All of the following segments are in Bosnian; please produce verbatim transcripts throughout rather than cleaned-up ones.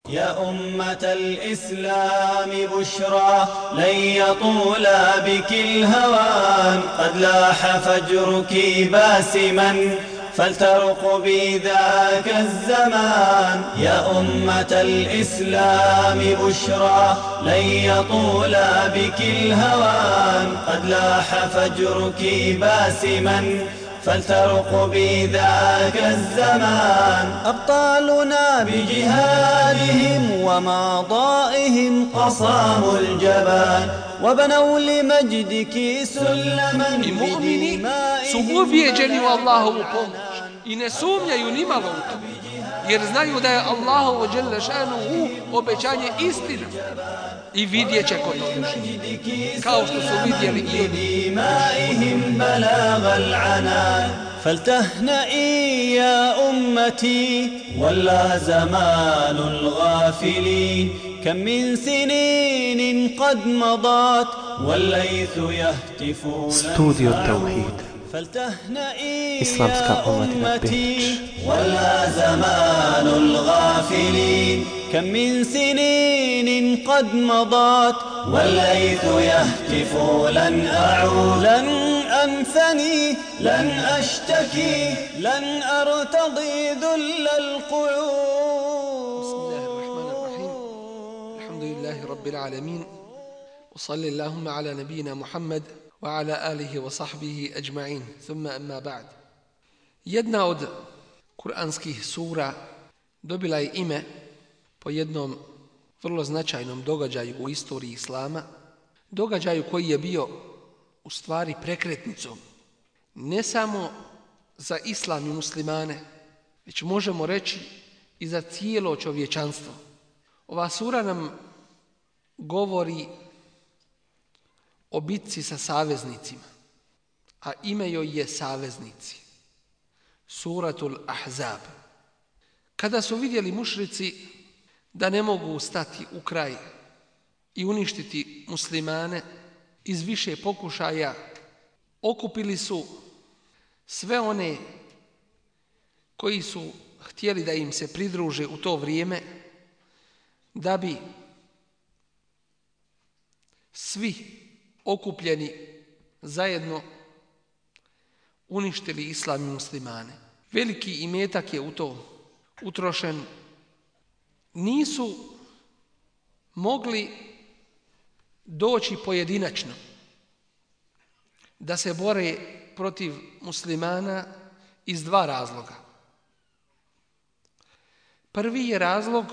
يا أمة الإسلام بشرى لن يطول بك الهوان قد لاح فجرك باسما فلترقبي ذاك الزمان يا أمة الإسلام بشرى لن يطول بك الهوان قد لاح فجرك باسما فلترقبي ذاك الزمان أبطالنا بجهادهم وماضائهم قصاموا الجبان وبنوا لمجدك سلما بدمائهم su ubijeđeni u Allahovu pomoć i ne sumnjaju ni malo u to, jer znaju da je Allahovo dželle šanuhu obećanje istina i vidjet će ko to doživi, kao što su vidjeli i بدمائهم بلاغ العنان فلتهنئي يا أمتي ولا زمان الغافلين كم من سنين قد مضت والليث يهتفون استوديو التوحيد فلتهنئي إسلامسكا يا أمتي ولا زمان الغافلين كم من سنين قد مضت والليث يهتف لن أعود لن أنثني لن أشتكي لن أرتضي ذل القعود. بسم الله الرحمن الرحيم الحمد لله رب العالمين وصلى اللهم على نبينا محمد وعلى آله وصحبه أجمعين ثم أما بعد. Jedna od kuranskih sura dobila je ime po jednom vrlo značajnom događaju u istoriji Islama, događaju koji je bio u stvari prekretnicom ne samo za Islam i muslimane, već možemo reći i za cijelo čovječanstvo. Ova sura nam govori o bitci sa saveznicima, a ime joj je Saveznici. Suratul Ahzab. Kada su vidjeli mušrici da ne mogu stati u kraj i uništiti muslimane, iz više pokušaja okupili su sve one koji su htjeli da im se pridruže u to vrijeme, da bi svi okupljeni zajedno uništili islam i muslimane. Veliki imetak je u to utrošen. Nisu mogli doći pojedinačno da se bore protiv muslimana iz dva razloga. Prvi je razlog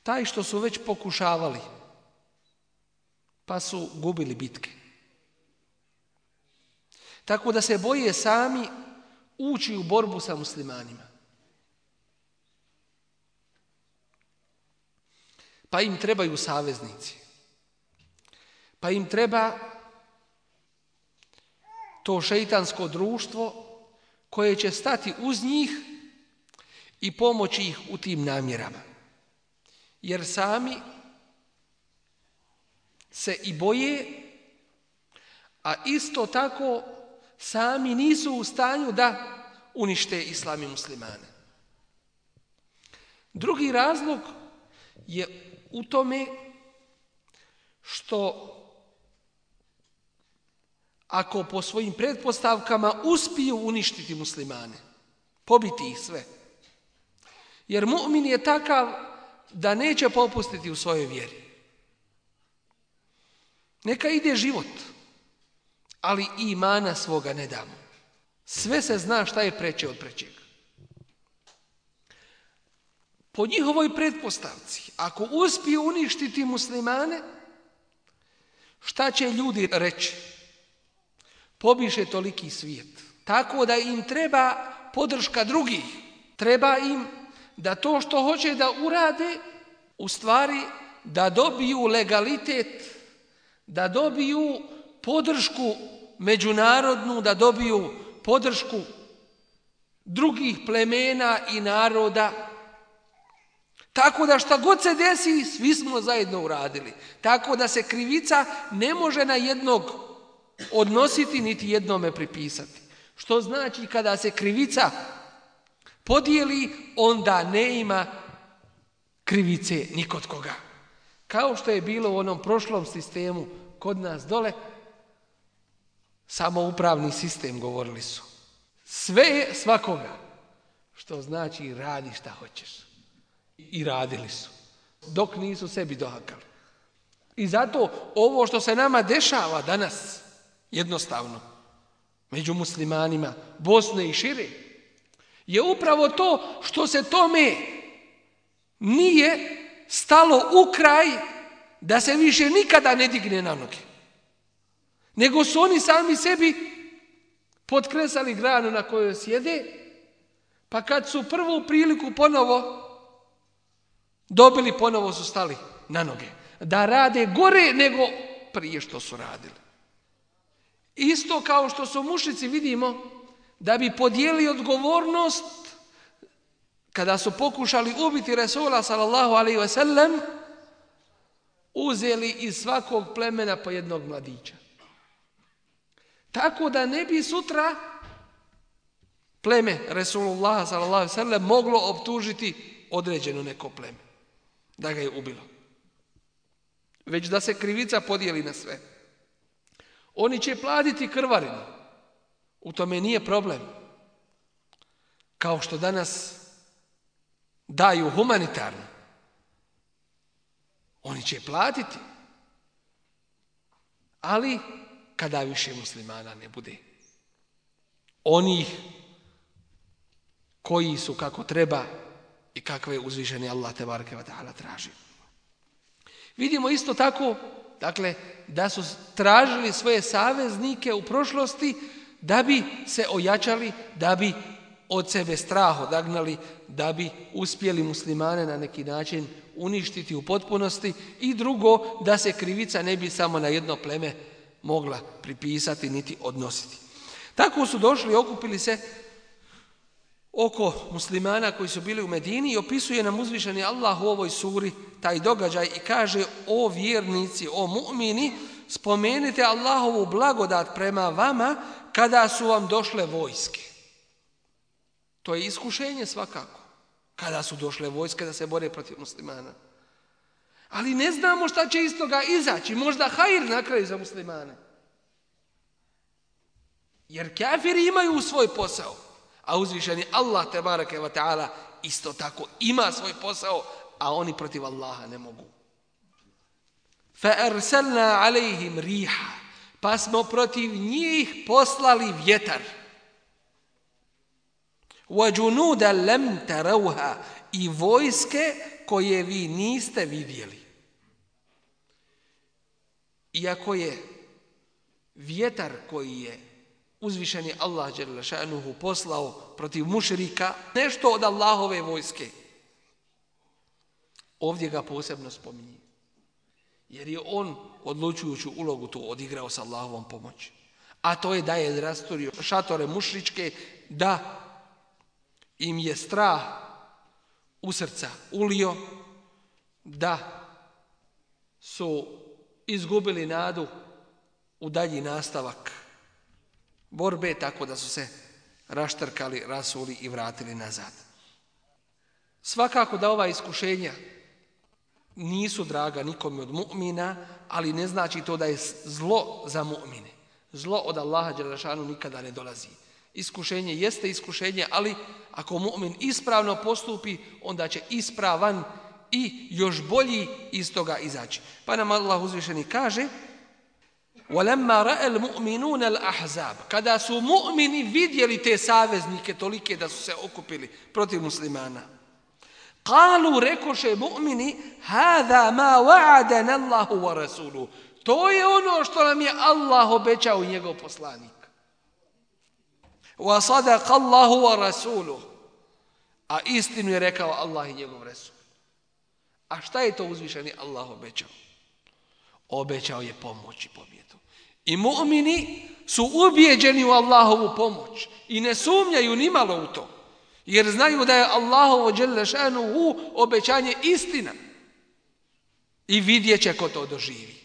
taj što su već pokušavali, pa su gubili bitke. Tako da se boje sami ući u borbu sa muslimanima. Pa im trebaju saveznici. Pa im treba to šeitansko društvo koje će stati uz njih i pomoći ih u tim namjerama. Jer sami se i boje, a isto tako sami nisu u stanju da unište islam i muslimane. Drugi razlog je u tome što ako po svojim pretpostavkama uspiju uništiti muslimane, pobiti ih sve, jer mu'min je takav da neće popustiti u svojoj vjeri. Neka ide život, ali imana svoga ne damo. Sve se zna šta je preče od prečega. Po njihovoj pretpostavci, ako uspiju uništiti muslimane, šta će ljudi reći? Pobiše toliki svijet. Tako da im treba podrška drugih. Treba im da to što hoće da urade, u stvari da dobiju legalitet, da dobiju podršku međunarodnu, da dobiju podršku drugih plemena i naroda. Tako da šta god se desi, svi smo zajedno uradili. Tako da se krivica ne može na jednog odnositi, niti jednome pripisati. Što znači kada se krivica podijeli, onda ne ima krivice ni kod koga. Kao što je bilo u onom prošlom sistemu kod nas dole, samoupravni sistem, govorili su. Sve je svakoga, što znači radi šta hoćeš. I radili su, dok nisu sebi dohakali. I zato ovo što se nama dešava danas, jednostavno, među muslimanima Bosne i šire, je upravo to što se tome nije stalo u kraj da se više nikada ne digne na noge. Nego su oni sami sebi potkresali granu na kojoj sjede, pa kad su prvu priliku ponovo dobili, ponovo su stali na noge. Da rade gore nego prije što su radili. Isto kao što su mušrici, vidimo, da bi podijeli odgovornost kada su pokušali ubiti Resula sallallahu alejhi ve sellem, uzeli iz svakog plemena po jednog mladića. Tako da ne bi sutra pleme Resulullah sallallahu alejhi ve sellem moglo optužiti određeno neko pleme da ga je ubilo. Već da se krivica podijeli na sve. Oni će platiti krvarinu. U tome nije problem. Kao što danas daju humanitarno. Oni će platiti. Ali kada više muslimana ne bude. Onih koji su kako treba i kakve uzvišeni Allah tebareke ve taala traži. Vidimo isto tako, dakle, da su tražili svoje saveznike u prošlosti da bi se ojačali, da bi od sebe strah odagnali, da bi uspjeli muslimane na neki način uništiti u potpunosti, i drugo, da se krivica ne bi samo na jedno pleme mogla pripisati niti odnositi. Tako su došli, okupili se oko muslimana koji su bili u Medini i opisuje nam uzvišeni Allah u ovoj suri taj događaj i kaže: o vjernici, o mu'mini, spomenite Allahovu blagodat prema vama kada su vam došle vojske. To je iskušenje svakako, kada su došle vojske da se bore protiv muslimana. Ali ne znamo šta će iz toga izaći, možda hajr na kraju za muslimane. Jer kafiri imaju svoj posao, a uzvišeni Allah tebareke ve taala isto tako ima svoj posao, a oni protiv Allaha ne mogu. Fa arsalna alejhim riha, pa smo protiv njih poslali vjetar. Wa junudan lam tarawha, i vojske koje vi niste vidjeli. Iako je vjetar koji je uzvišeni Allah dželle šanuhu poslao protiv mušrika nešto od Allahove vojske, ovdje ga posebno spominje. Jer je on odlučujuću ulogu tu odigrao sa Allahovom pomoći. A to je da je rasturio šatore mušričke, da im je strah u srca ulio, da su izgubili nadu u dalji nastavak borbe, tako da su se raštrkali, rasuli i vratili nazad. Svakako da ova iskušenja nisu draga nikome od mu'mina, ali ne znači to da je zlo za mu'mine. Zlo od Allaha dželle šanuhu nikada ne dolazi. Iskušenje jeste iskušenje, ali ako mu'min ispravno postupi, onda će ispravan i još bolji iz toga izaći. Pa nam Allah uzvišeni kaže: وَلَمَّا رَأَ الْمُؤْمِنُونَ الْأَحْزَابِ, kada su mu'mini vidjeli te saveznike tolike da su se okupili protiv muslimana, قَالُوا, rekoše mu'mini: هَذَا مَا وَعَدَنَ اللَّهُ وَرَسُولُهُ, to je ono što nam je Allah obećao i njegov poslanik. وَصَدَقَ اللَّهُ وَرَسُولُهُ, a istinu je rekao Allah i njegov Resul. A šta je to uzvišeni Allah obećao? Obećao je pomoć i pobjedu. I mu'mini su ubijeđeni u Allahovu pomoć i ne sumnjaju nimalo u to, jer znaju da je Allahovo dželle šanuhu obećanje istina i vidjet će ko to doživi,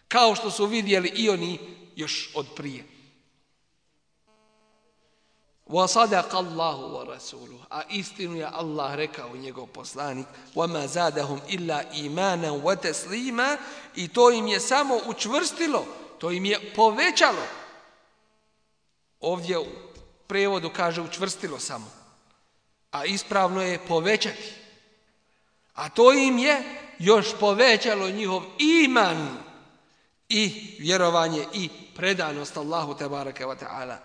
kao što su vidjeli i oni još od prije. وَصَدَقَ اللَّهُ وَرَسُولُهُ. A istinu je Allah rekao, njegov poslanik, وَمَا زَادَهُمْ إِلَّا إِيمَانًا وَتَسْلِيمًا. I to im je samo učvrstilo, to im je povećalo. Ovdje u prevodu kaže učvrstilo samo, a ispravno je povećati. A to im je još povećalo njihov iman i vjerovanje i predanost Allahu tebareke ve taala.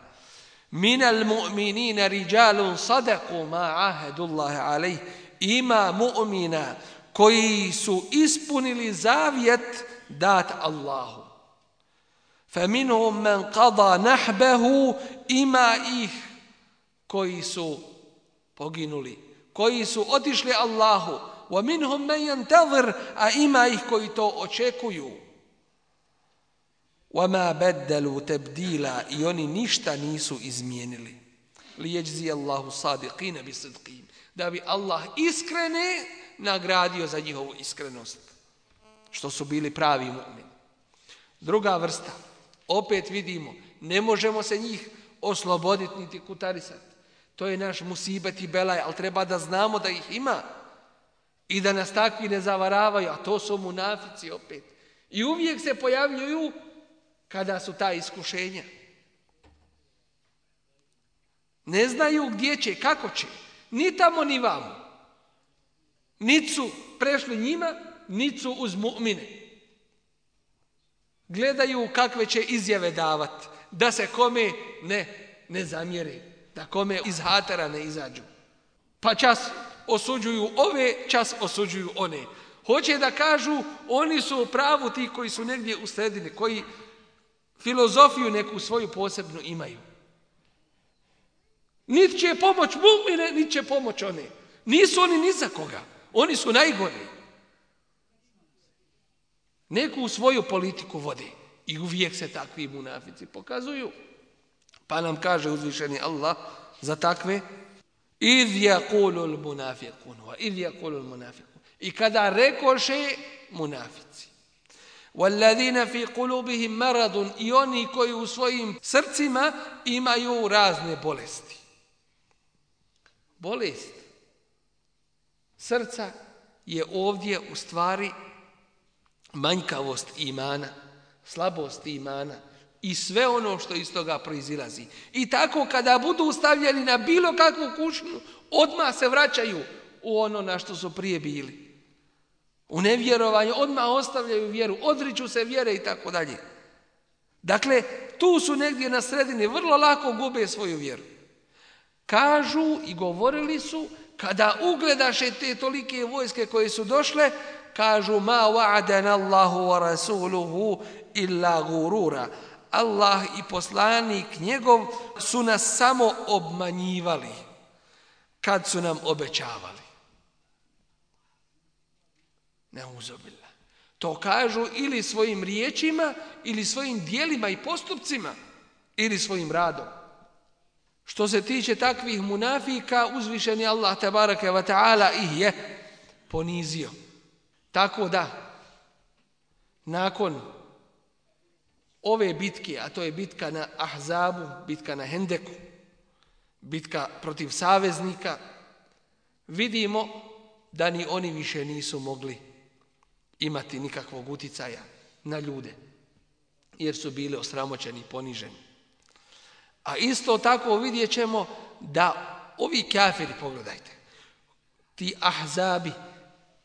Minal mu'minina rijalun sadaqu ma ahadullahi alayh. Ima mu'mina koji su ispunili zavjet dat Allahu. Faminhum man qada nahbahu. Ima ih koji su poginuli, koji su otišli Allahu. Wa minhum man yantazir. A ima ih koji to očekuju. وَمَا بَدَّلُوا تَبْدِيلًا. I oni ništa nisu izmijenili. لِيَجْزِيَ اللَّهُ صَادِقِينَ بِصِدْقِهِمْ. Da bi Allah iskrene nagradio za njihovu iskrenost, što su bili pravi mu'mini. Druga vrsta, opet vidimo, ne možemo se njih osloboditi niti kutarisati. To je naš musibet i belaj, ali treba da znamo da ih ima i da nas takvi ne zavaravaju, a to su munafici opet. I uvijek se pojavljuju kada su ta iskušenja. Ne znaju gdje će, kako će, ni tamo ni vamo. Niti su prešli njima, niti su uz mu'mine. Gledaju kakve će izjave davati, da se kome ne, ne zamjeri, da kome iz hatera ne izađu. Pa čas osuđuju ove, čas osuđuju one. Hoće da kažu, oni su u pravu ti koji su negdje u sredini, koji filozofiju neku svoju posebnu imaju. Niti će pomoć mu'mine, niti će pomoć one. Nisu oni ni za koga. Oni su najgori. Neku svoju politiku vode. I uvijek se takvi munafici pokazuju. Pa nam kaže uzvišeni Allah za takve: إِذْ يَقُولُ الْمُنَافِقُونَ وَإِذْ يَقُولُ الْمُنَافِقُونَ. I kada rekoše munafici: وَالَّذِينَ فِي قُلُوبِهِمْ مَرَضٌ. I oni koji u svojim srcima imaju razne bolesti. Bolest srca je ovdje u stvari manjkavost imana, slabost imana i sve ono što iz toga proizilazi. I tako kada budu stavljeni na bilo kakvu kušnju, odmah se vraćaju u ono na što su prije bili. U nevjerovanju odmah ostavljaju vjeru, odriču se vjere i tako dalje. Dakle, tu su negdje na sredini, vrlo lako gube svoju vjeru. Kažu i govorili su, kada ugledaše te tolike vojske koje su došle, kažu: ma wa'adana Allahu wa rasuluhu illa gurura. Allah i poslanik njegov su nas samo obmanjivali kad su nam obećavali. Neuzubillah. To kažu ili svojim riječima, ili svojim dijelima i postupcima, ili svojim radom. Što se tiče takvih munafika, uzvišeni Allah tebareke ve taala ih je ponizio. Tako da, nakon ove bitke, a to je bitka na Ahzabu, bitka na Hendeku, bitka protiv saveznika, vidimo da ni oni više nisu mogli imati nikakvog uticaja na ljude, jer su bili osramoćeni i poniženi. A isto tako vidjet ćemo da ovi kafiri, pogledajte, ti Ahzabi,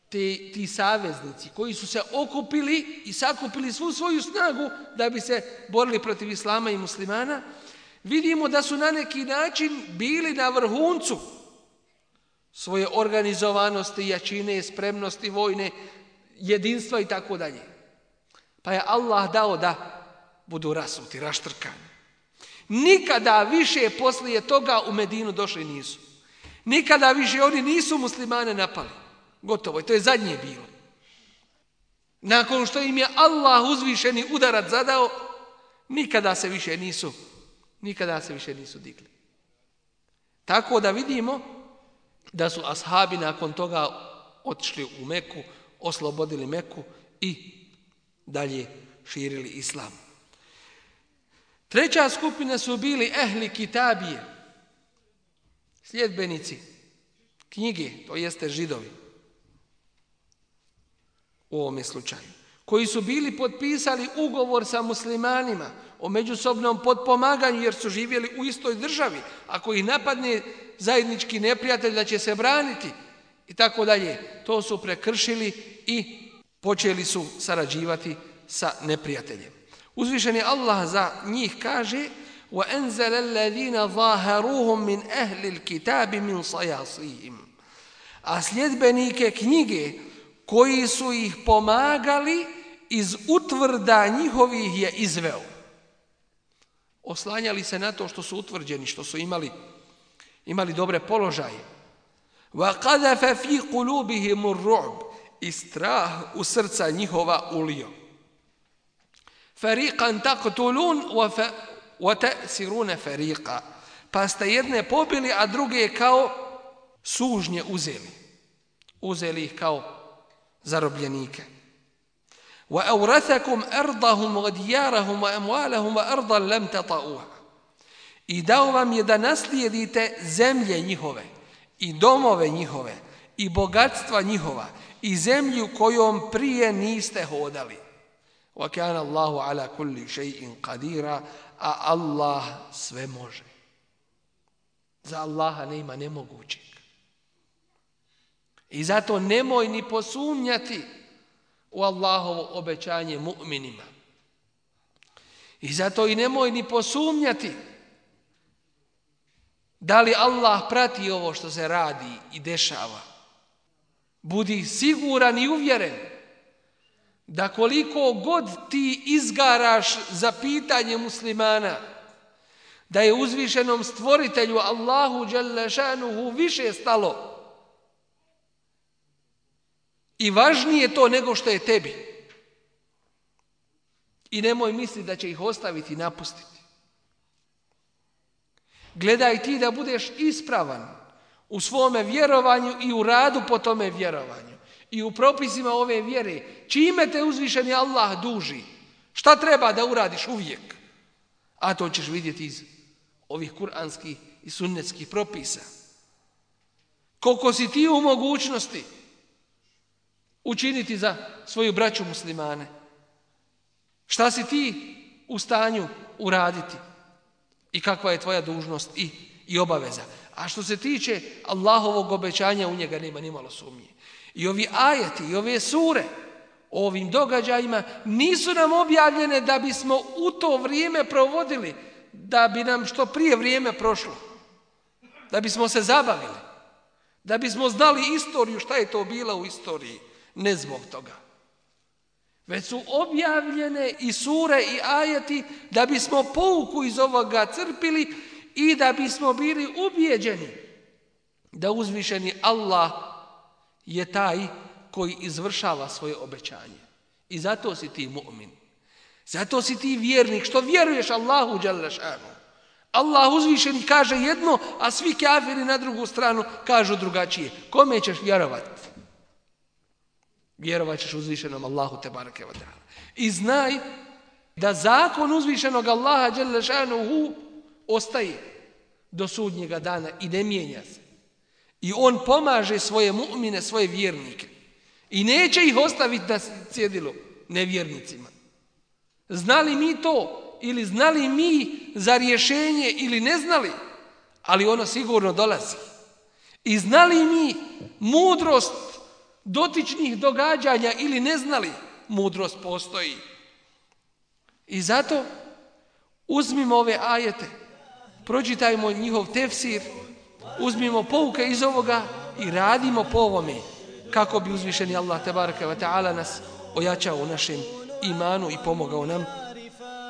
ti, ti saveznici koji su se okupili i sakupili svu svoju snagu da bi se borili protiv islama i muslimana, vidimo da su na neki način bili na vrhuncu svoje organizovanosti, jačine, spremnosti, vojne, jedinstva i tako dalje. Pa je Allah dao da budu rasuti, raštrkani. Nikada više poslije toga u Medinu došli nisu. Nikada više oni nisu muslimane napali. Gotovo je, to je zadnje bilo. Nakon što im je Allah uzvišeni udarac zadao, nikada se više nisu, nikada se više nisu digli. Tako da vidimo da su ashabi nakon toga otišli u Meku, oslobodili Meku i dalje širili islam. Treća skupina su bili ehli kitabije. sljedbenici knjige, to jeste Židovi u ovome slučaju, koji su bili potpisali ugovor sa muslimanima o međusobnom potpomaganju jer su živjeli u istoj državi, ako ih napadne zajednički neprijatelj da će se braniti i tako dalje, to su prekršili i počeli su sarađivati sa neprijateljem. Uzvišeni Allah za njih kaže: وَأَنْزَلَ الَّذِينَ ظَاهَرُوهُمْ مِنْ أَهْلِ الْكِتَابِ مِنْ صَيَاصِيهِمْ. A sljedbenike knjige koji su ih pomagali iz utvrda njihovih je izveo. Oslanjali se na to što su utvrđeni, što su imali, imali dobre položaje. وَقَذَفَ فِي قُلُوبِهِمُ الرُّعْبِ. I strah u srca njihova ulio. فَرِيقًا تَقْتُلُونَ وَتَأْسِرُونَ فَرِيقًا. Pa ste jedne pobili, a druge kao sužnje uzeli. Uzeli ih kao zarobljenike. وَأَوْرَثَكُمْ أَرْضَهُمْ وَدِيَارَهُمْ وَأَمْوَالَهُمْ وَأَرْضًا لَمْ تَطَئُوهَا. I dao vam je da naslijedite zemlje njihove, i domove njihove, i bogatstva njihova, i zemlju kojom prije niste hodali. وَكَانَ اللَّهُ عَلَى كُلِّ شَيْءٍ قَدِيرًا. A Allah sve može. Za Allaha nema nemogućeg. I zato nemoj ni posumnjati u Allahovo obećanje mu'minima. I zato i nemoj ni posumnjati da li Allah prati ovo što se radi i dešava. Budi siguran i uvjeren da koliko god ti izgaraš za pitanje muslimana, da je uzvišenom stvoritelju Allahu dželle šanuhu više stalo i važnije to nego što je tebi. I nemoj misliti da će ih ostaviti i napustiti. Gledaj ti da budeš ispravan u svome vjerovanju i u radu po tome vjerovanju. I u propisima ove vjere, čime te uzvišeni Allah duži, šta treba da uradiš uvijek, a to ćeš vidjeti iz ovih kuranskih i sunnetskih propisa. Koliko si ti u mogućnosti učiniti za svoju braću muslimane, šta si ti u stanju uraditi i kakva je tvoja dužnost i, i obaveza. A što se tiče Allahovog obećanja, u njega nema nimalo sumnje. I ovi ajeti i ove sure o ovim događajima nisu nam objavljene da bismo u to vrijeme provodili, da bi nam što prije vrijeme prošlo, da bismo se zabavili, da bismo znali istoriju, šta je to bilo u istoriji. Ne zbog toga. Već su objavljene i sure i ajeti da bismo pouku iz ovoga crpili i da bismo bili ubijeđeni da uzvišeni Allah je taj koji izvršava svoje obećanje. I zato si ti mu'min. Zato si ti vjernik, što vjeruješ Allahu dželle šanuhu. Allah uzvišeni kaže jedno, a svi kafiri na drugu stranu kažu drugačije. Kome ćeš vjerovati? Vjerovat ćeš uzvišenom Allahu tebareke ve taala. I znaj da zakon uzvišenog Allaha dželle šanuhu ostaje do sudnjega dana i ne mijenja se. I on pomaže svoje mu'mine, svoje vjernike. I neće ih ostaviti na cjedilu nevjernicima. Znali mi to ili znali mi za rješenje ili ne znali, ali ono sigurno dolazi. I znali mi mudrost dotičnih događanja ili ne znali, mudrost postoji. I zato uzmimo ove ajete, pročitajmo njihov tefsir, uzmimo pouke iz ovoga i radimo po ovome kako bi uzvišeni Allah tebareke ve taala nas ojačao u našem imanu i pomogao nam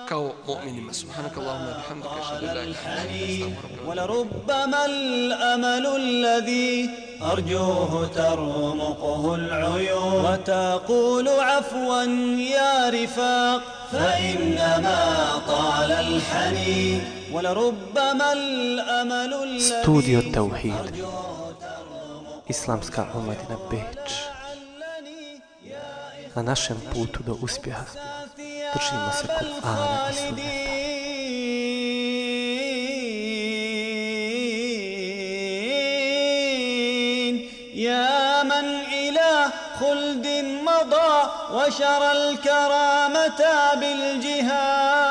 kao mu'minima. Subhanakallahumma bihamdika ashhadu an la ilaha illa anta astaghfiruka wa ولربما الأمل الذي أرجوه ترمقه العيون وتقول عفوا يا رفاق فإنما طال الحنين ولربما الأمل الذي Studio Tauhid, Islamska omladina Beč. Na našem putu do uspjeha držimo se Kur'ana i Sunneta. خلد مضى وشرى الكرامة بالجهاد.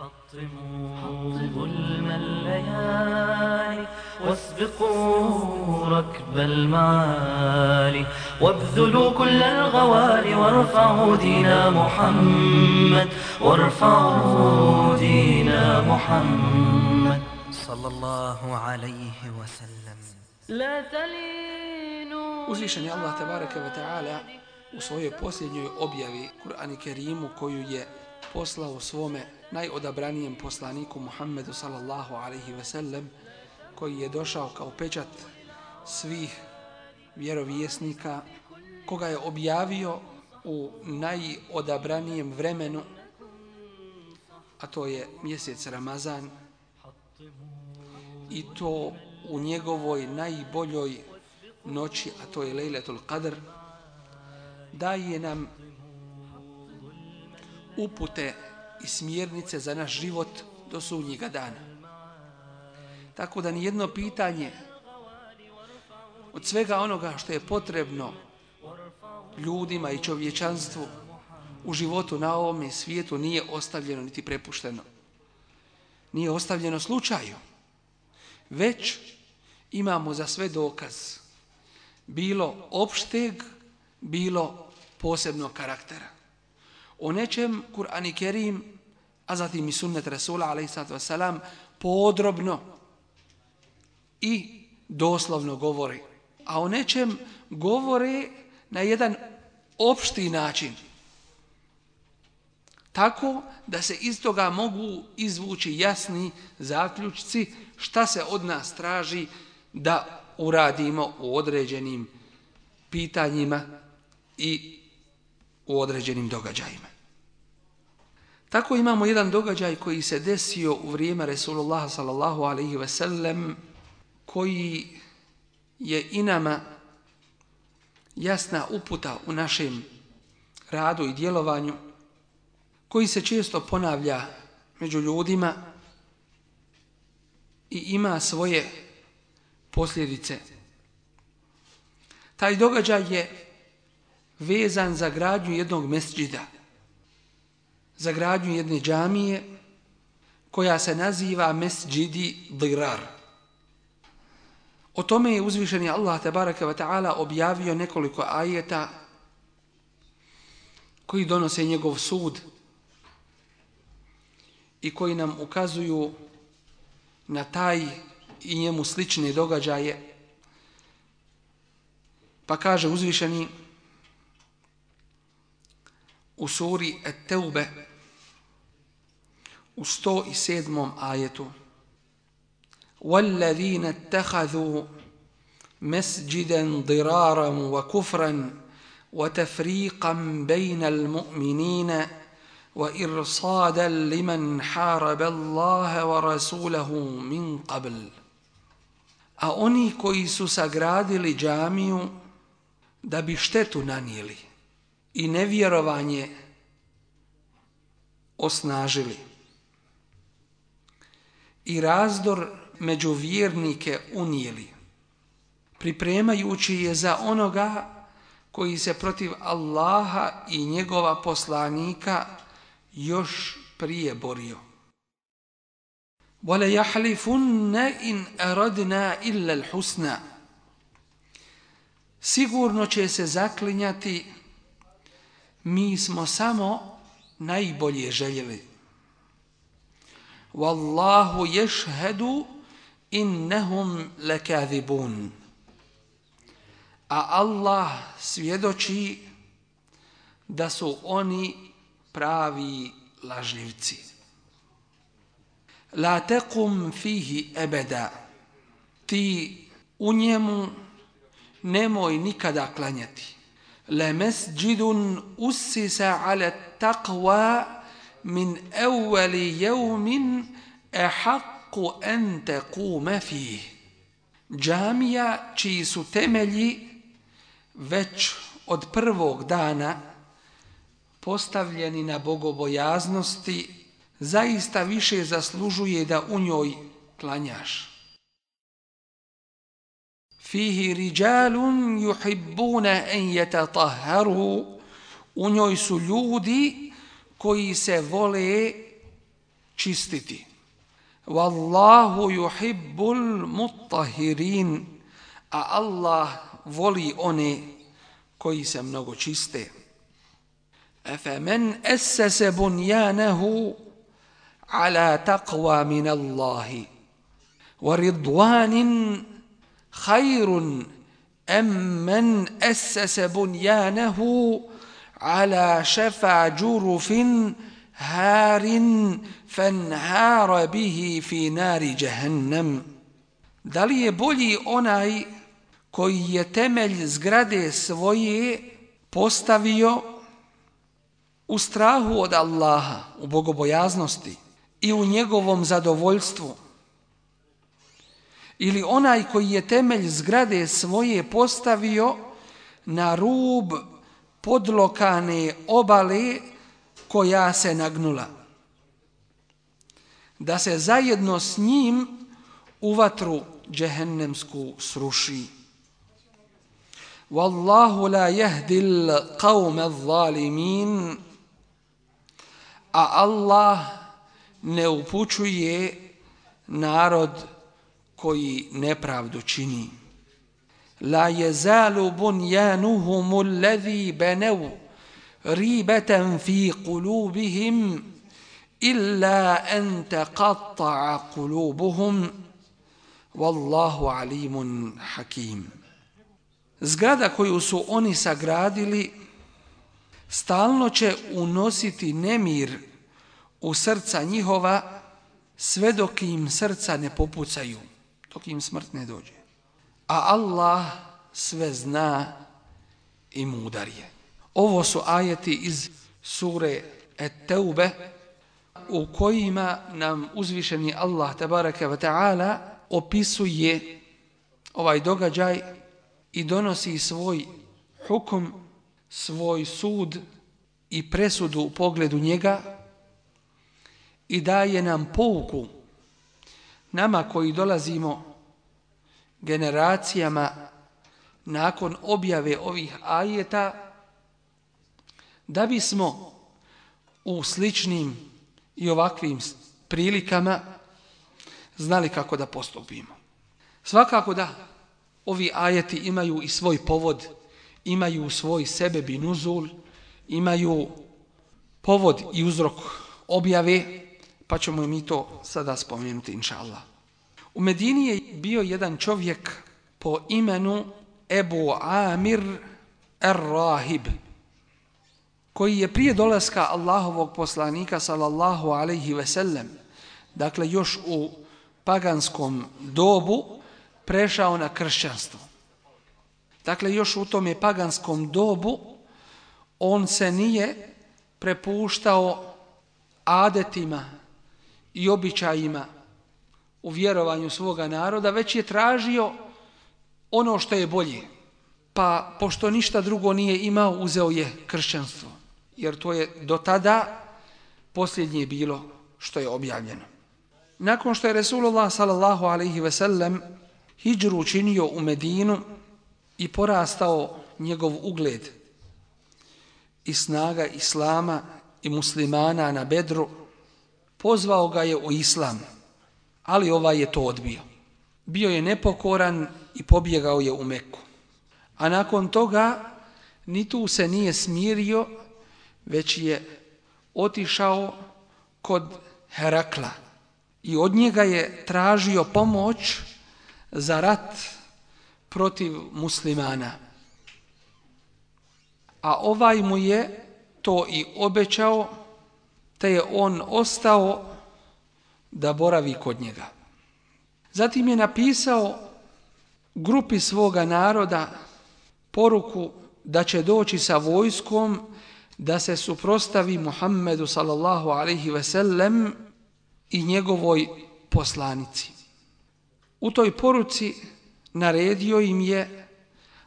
حطموا ظلم الليالي واسبقوا ركب المعالي وابذلوا كل الغوالي وارفعوا دين محمد وارفعوا دين محمد صلى الله عليه وسلم. لا تلينوا. Uzvišen je Allah tebareke ve taala u svojoj posljednjoj objavi Kur'an Kerimu koju je poslao svome najodabranijem poslaniku Muhammedu sallallahu alaihi ve sellem, koji je došao kao pečat svih vjerovjesnika, koga je objavio u najodabranijem vremenu, a to je mjesec Ramazan, i to u njegovoj najboljoj noći, a to je Lejletul Qadr, daje nam upute i smjernice za naš život do sudnjega dana. Tako da nijedno pitanje od svega onoga što je potrebno ljudima i čovječanstvu u životu na ovome svijetu nije ostavljeno niti prepušteno. Nije ostavljeno slučaju. Već imamo za sve dokaz. Bilo opšteg, bilo posebnog karaktera. O nečem Kur'an i Kerim, a zatim i sunnet Rasula alejhi salatu vesselam podrobno i doslovno govori. A o nečem govore na jedan opšti način. Tako da se iz toga mogu izvući jasni zaključci šta se od nas traži da uradimo u određenim pitanjima i u određenim događajima. Tako imamo jedan događaj koji se desio u vrijeme Resulullah sallallahu alaihi ve sellem, koji je i nama jasna uputa u našem radu i djelovanju, koji se često ponavlja među ljudima i ima svoje posljedice. Taj događaj je vezan za gradnju jednog mesdžida, za gradnju jedne džamije koja se naziva Mesdžidi Dirar. O tome je uzvišeni Allah tebareke ve taala objavio nekoliko ajeta koji donose njegov sud i koji nam ukazuju na taj i njemu slične događaje. Pa kaže uzvišeni u suri At-Tawbe u sto sedmom ajetu: وَالَّذِينَ اتَّخَذُوا مَسْجِدًا ضِرَارًا وَكُفْرًا وَتَفْرِيقًا بَيْنَ الْمُؤْمِنِينَ وَإِرْصَادًا لِمَنْ حَارَبَ اللَّهَ وَرَسُولَهُ مِنْ قَبْلِ. A oni koji su sagradili džamiju da bi štetu nanijeli i nevjerovanje osnažili i razdor među vjernike unijeli, pripremajući je za onoga koji se protiv Allaha i njegova poslanika još prije borio. وَلَا يَحْلِفُنَّ إِنْ أَرَدْنَا إِلَّا الْحُسْنَى. Sigurno će se zaklinjati, mi smo samo najbolje željeli. وَاللَّهُ يَشْهَدُ إِنَّهُمْ لَكَاذِبُونَ. A Allah svjedoči da su oni pravi lažljivci. La tekum fihi ebeda. Ti u njemu nemoj nikada klanjati. Le mesđidun ussisa ala taqwa min evveli jevmin ehakku en tekume fih. Džamija čiji su temelji već od prvog dana postavljeni na bogobojaznosti, zaista više zaslužuje da u njoj klanjaš. Fihi rijalun yuhibbuna an yatatahharu, u njoj su ljudi koji se vole čistiti. Wallahu yuhibbul mutahhirin, a Allah voli one koji se mnogo čiste. Afaman assasa bunyanahu ala taqwa min Allahi wa ridwanin khayrun am man assasa bunyanahu ala shafa jurufin harin fanhara bihi fi nari jahannam. Da li je bolji onaj koji je temelj zgrade svoje postavio u strahu od Allaha, u bogobojaznosti i u njegovom zadovoljstvu, ili onaj koji je temelj zgrade svoje postavio na rub podlokane obale koja se nagnula, da se zajedno s njim u vatru džehennemsku sruši. Wallahu la yahdil qawma adh-dhalimin, a Allah ne upućuje narod koji nepravdu čini. La yazalu bunyanuhum alladhi banaw ribatan fi qulubihim illa an taqatta'a qulubuhum wallahu alimun hakim. Zgrada koju su oni sagradili stalno će unositi nemir u srca njihova sve dok im srca ne popucaju, dok im smrt ne dođe. A Allah sve zna i mudar je. Ovo su ajeti iz sure Et-Teube u kojima nam uzvišeni Allah tabaraka wa ta'ala opisuje ovaj događaj i donosi svoj hukum, svoj sud i presudu u pogledu njega i daje nam pouku nama koji dolazimo generacijama nakon objave ovih ajeta, da bismo u sličnim i ovakvim prilikama znali kako da postupimo. Svakako da ovi ajeti imaju i svoj povod, imaju svoj sebeb i nuzul, imaju povod i uzrok objave, pa ćemo mi to sada spomenuti, inša Allah. U Medini je bio jedan čovjek po imenu Ebu Amir ar-Rahib, koji je prije dolaska Allahovog poslanika sallallahu alaihi ve sellem, dakle još u paganskom dobu, prešao na kršćanstvo. Dakle, još u tome paganskom dobu on se nije prepuštao adetima i običajima u vjerovanju svoga naroda, već je tražio ono što je bolje. Pa, pošto ništa drugo nije imao, uzeo je kršćanstvo. Jer to je do tada posljednje bilo što je objavljeno. Nakon što je Resulullah sallallahu alaihi ve sellem hidžru učinio u Medinu i porastao njegov ugled i snaga islama i muslimana na Bedru, pozvao ga je u islam, ali ovaj je to odbio. Bio je nepokoran i pobjegao je u Meku. A nakon toga ni tu se nije smirio, već je otišao kod Herakla i od njega je tražio pomoć za rat protiv muslimana. A ovaj mu je to i obećao, te je on ostao da boravi kod njega. Zatim je napisao grupi svoga naroda poruku da će doći sa vojskom da se suprotstavi Muhammedu sallallahu alaihi ve sellem i njegovoj poslanici. U toj poruci naredio im je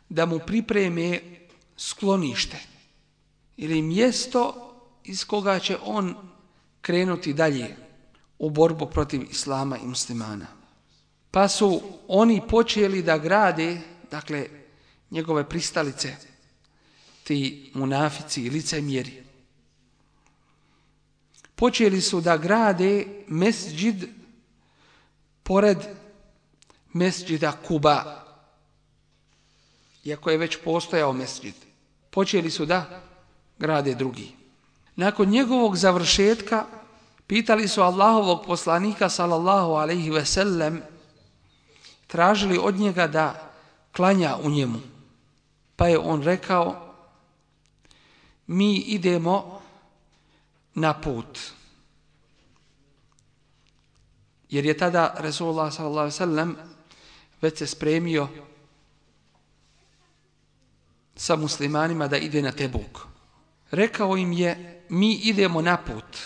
da mu pripreme sklonište ili mjesto iz koga će on krenuti dalje u borbu protiv islama i muslimana. Pa su oni počeli da grade, dakle, njegove pristalice, ti munafici i licemjeri. Počeli su da grade mesdžid pored mesdžida Kuba, iako je već postojao mesdžid. Počeli su da grade drugi. Nakon njegovog završetka pitali su Allahovog poslanika sallallahu alejhi ve sellem, tražili od njega da klanja u njemu. Pa je on rekao, mi idemo na put. Jer je tada Resulullah sallallahu alejhi ve sellem već se spremio sa muslimanima da ide na Tebuk. Rekao im je, mi idemo na put,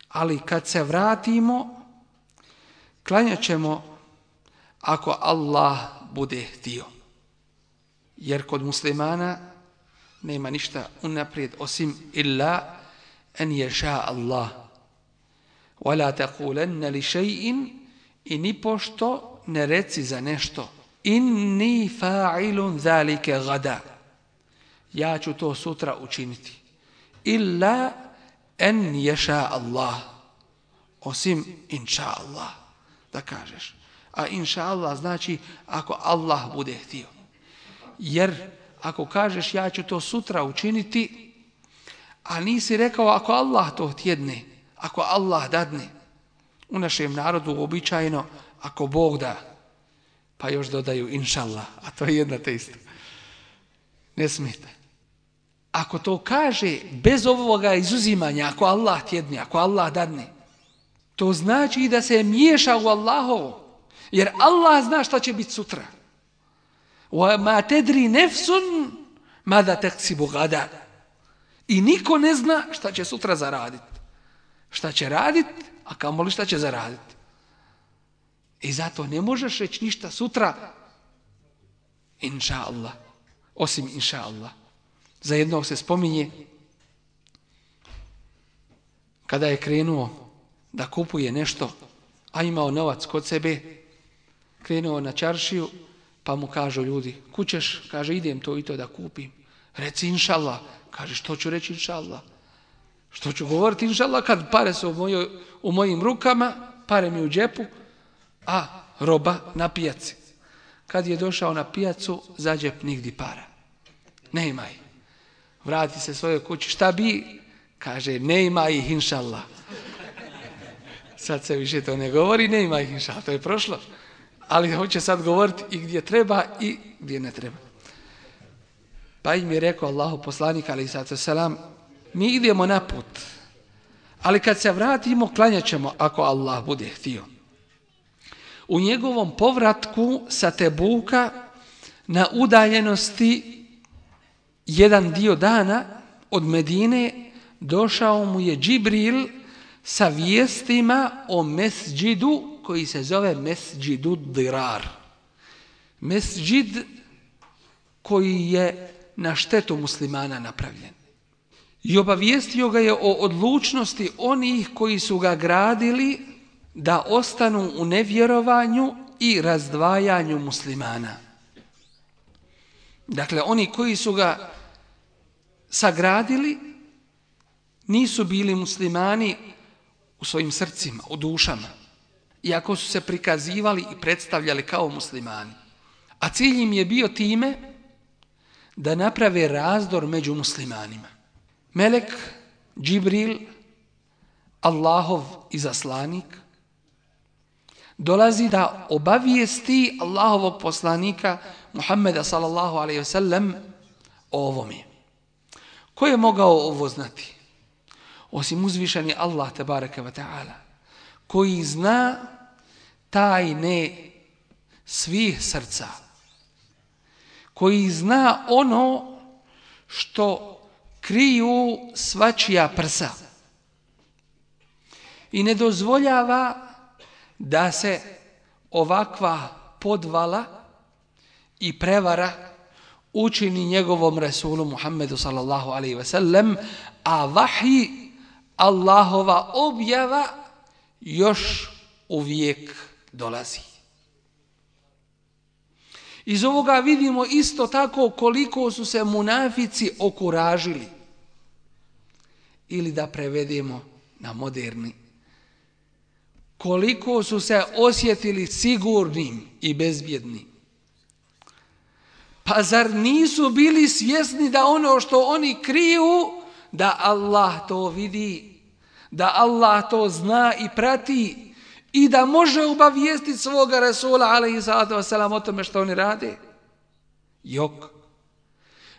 ali kad se vratimo, klanjat ćemo ako Allah bude htio. Jer kod muslimana nema ništa unaprijed osim illa en ješa Allah. Wala taqulanna li shay'in, i ni pošto ne reci za nešto, inni fa'ilun zalika gada, ja ću to sutra učiniti. Illa en ješa Allah, osim inša Allah, da kažeš. A inša Allah znači ako Allah bude htio. Jer ako kažeš ja ću to sutra učiniti, a nisi rekao ako Allah to htjedne, ako Allah dadne. U našem narodu uobičajeno ako Bog da, pa još dodaju inša Allah, a to je jedna te isto. Ne smijete. Ako to kaže bez ovoga izuzimanja, ako Allah htjedne, ako Allah dadne, to znači da se miješa u Allahovo. Jer Allah zna šta će biti sutra. وَمَا تَدْرِ نَفْسٌ مَاذَا تَكْسِبُ غَدًا. I niko ne zna šta će sutra zaraditi. Šta će raditi, a kamoli šta će zaraditi. I zato ne možeš reći ništa sutra, inša Allah, osim inša Allah. Za jednog se spominje, kada je krenuo da kupuje nešto, a imao novac kod sebe, krenuo na čaršiju, pa mu kažu ljudi, kućeš? Kaže, idem to i to da kupim. Reci inša Allah. Kaže, što ću reći inša Allah? Što ću govoriti inša Allah kad pare su u, mojoj, u mojim rukama, pare mi u džepu, a roba na pijaci. Kad je došao na pijacu, za džep nigdi para. Nema ih. Vrati se svojoj kući. Šta bi? Kaže, nema ih inša Allah. Sad se više to ne govori, nema ih inša Allah. To je prošlo. Ali hoće sad govoriti i gdje treba i gdje ne treba. Pa im je rekao Allahu poslanik alejhi salatu selam, mi idemo na put, ali kad se vratimo klanjat ćemo ako Allah bude htio. U njegovom povratku sa Tebuka na udaljenosti jedan dio dana od Medine došao mu je Džibril sa vijestima o mesdžidu koji se zove Mesdžidu Dirar. Mesdžid koji je na štetu muslimana napravljen. I obavijestio ga je o odlučnosti onih koji su ga gradili da ostanu u nevjerovanju i razdvajanju muslimana. Dakle, oni koji su ga sagradili nisu bili muslimani u svojim srcima, u dušama, iako su se prikazivali i predstavljali kao muslimani. A cilj im je bio time da naprave razdor među muslimanima. Melek Džibril, Allahov izaslanik, dolazi da obavijesti Allahovog poslanika Muhammeda sallallahu alejhi ve sellem o ovome. Ko je mogao ovo znati? Osim uzvišeni Allah tebareke ve taala, koji zna tajne svih srca, koji zna ono što kriju svačija prsa i ne dozvoljava da se ovakva podvala i prevara učini njegovom Resulu Muhammedu sallallahu alejhi ve sellem, a vahij, Allahova objava, još uvijek dolazi. Iz ovoga vidimo isto tako koliko su se munafici okuražili. Ili da prevedemo na moderni. Koliko su se osjetili sigurnim i bezbjednim. Pa zar nisu bili svjesni da ono što oni kriju, da Allah to vidi, da Allah to zna i prati i da može obavijestiti svoga Rasula alejhi salatu vesselam o tome što oni rade? Jok.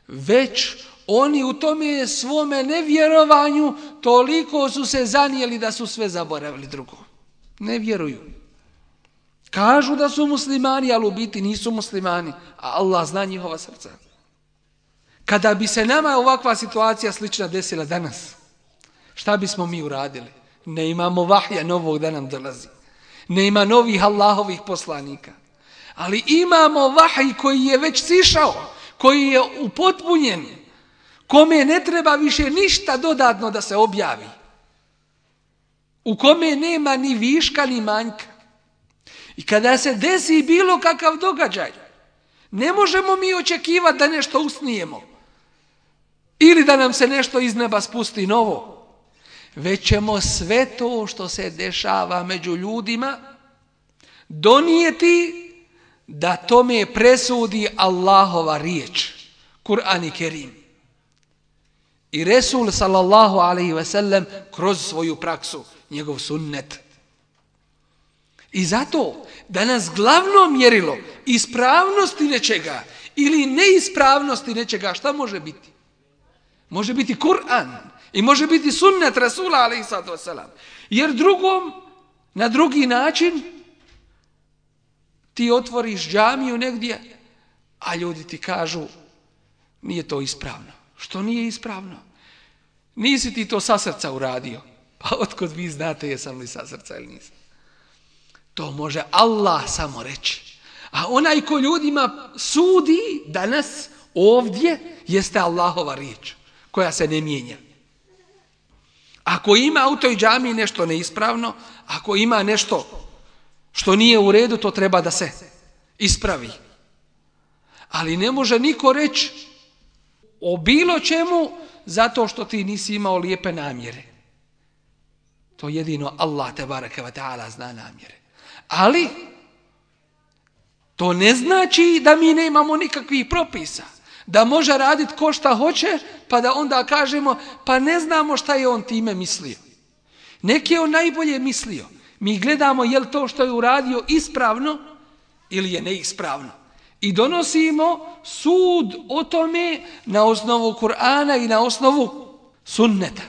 Već oni u tome svome nevjerovanju toliko su se zanijeli da su sve zaboravili drugo. Ne vjeruju. Kažu da su muslimani, ali u biti nisu muslimani, a Allah zna njihova srca. Kada bi se nama ovakva situacija slična desila danas, šta bismo mi uradili? Ne imamo vahja novog da nam dolazi. Ne ima novih Allahovih poslanika. Ali imamo vahj koji je već sišao, koji je upotpunjen, kome ne treba više ništa dodatno da se objavi. U kome nema ni viška ni manjka. I kada se desi bilo kakav događaj, ne možemo mi očekivati da nešto usnijemo. Ili da nam se nešto iz neba spusti novo. Već ćemo sve to što se dešava među ljudima donijeti da tome presudi Allahova riječ, Kur'an i Kerim. I Resul sallallahu alejhi ve sellem kroz svoju praksu, njegov sunnet. I zato danas glavno mjerilo ispravnosti nečega ili neispravnosti nečega, šta može biti? Može biti Kur'an i može biti sunnet Rasula alejhi salatu vesselam. Jer drugom, na drugi način, ti otvoriš džamiju negdje, a ljudi ti kažu nije to ispravno. Što nije ispravno? Nisi ti to sa srca uradio. Pa otkud vi znate jesam li sa srca ili nisam? To može Allah samo reći. A onaj ko ljudima sudi danas ovdje jeste Allahova riječ koja se ne mijenja. Ako ima u toj džamiji nešto neispravno, ako ima nešto što nije u redu, to treba da se ispravi. Ali ne može niko reći o bilo čemu zato što ti nisi imao lijepe namjere. To jedino Allah tebareke ve taala zna namjere. Ali to ne znači da mi nemamo nikakvih propisa. Da može raditi ko šta hoće, pa da onda kažemo pa ne znamo šta je on time mislio. Neki je on najbolje mislio. Mi gledamo je li to što je uradio ispravno ili je neispravno. I donosimo sud o tome na osnovu Kur'ana i na osnovu sunneta.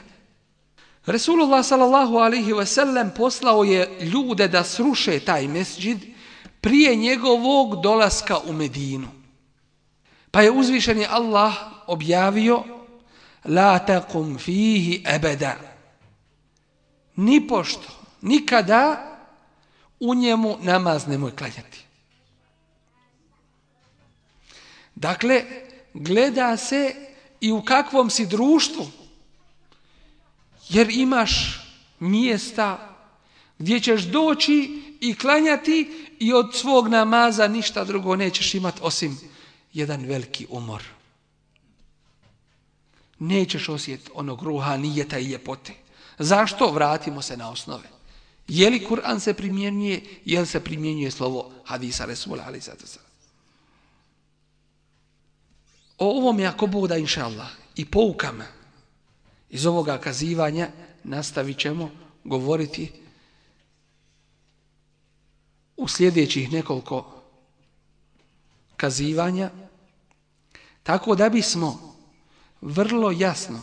Resulullah sallallahu alejhi ve sellem poslao je ljude da sruše taj mesdžid prije njegovog dolaska u Medinu. Pa je uzvišeni Allah objavio la taqum fihi abada. Nipošto, nikada u njemu namaz nemoj klanjati. Dakle, gleda se i u kakvom si društvu. Jer imaš mjesta gdje ćeš doći i klanjati i od svog namaza ništa drugo nećeš imati osim jedan veliki umor. Nećeš osjetiti onog ruhanijeta i ljepote. Zašto? Vratimo se na osnove. Je li Kur'an se primjenjuje, je li se primjenjuje slovo hadisa Resula alejhi salatu vesselam. O ovom je ako Bog da inša Allah i poukama iz ovoga kazivanja nastavit ćemo govoriti u sljedećih nekoliko kazivanja, tako da bismo vrlo jasno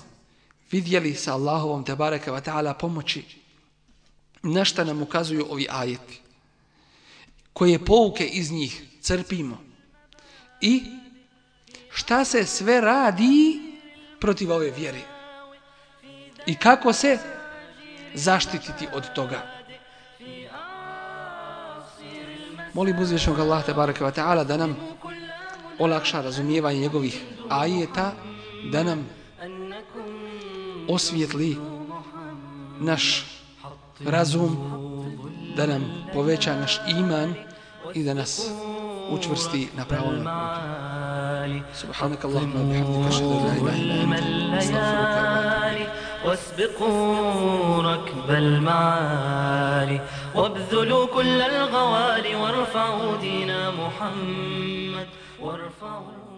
vidjeli sa Allahovom tebareke ve taala pomoći na šta nam ukazuju ovi ajeti, koje pouke iz njih crpimo i šta se sve radi protiv ove vjere i kako se zaštititi od toga. Molim uzvišenog Allah tebareke ve taala da nam olakša razumijevanje njegovih ajeta, da nam osvijetli naš razum, da nam poveća naš iman i da nas učvrsti na pravom putu. Subhanak Allahumma bihamdika ashhadu an la ilaha illa anta astaghfiruka wa atubu ilayk. واسبقوا ركب المعالي وابذلوا كل الغوالي وارفعوا دين محمد وارفعوا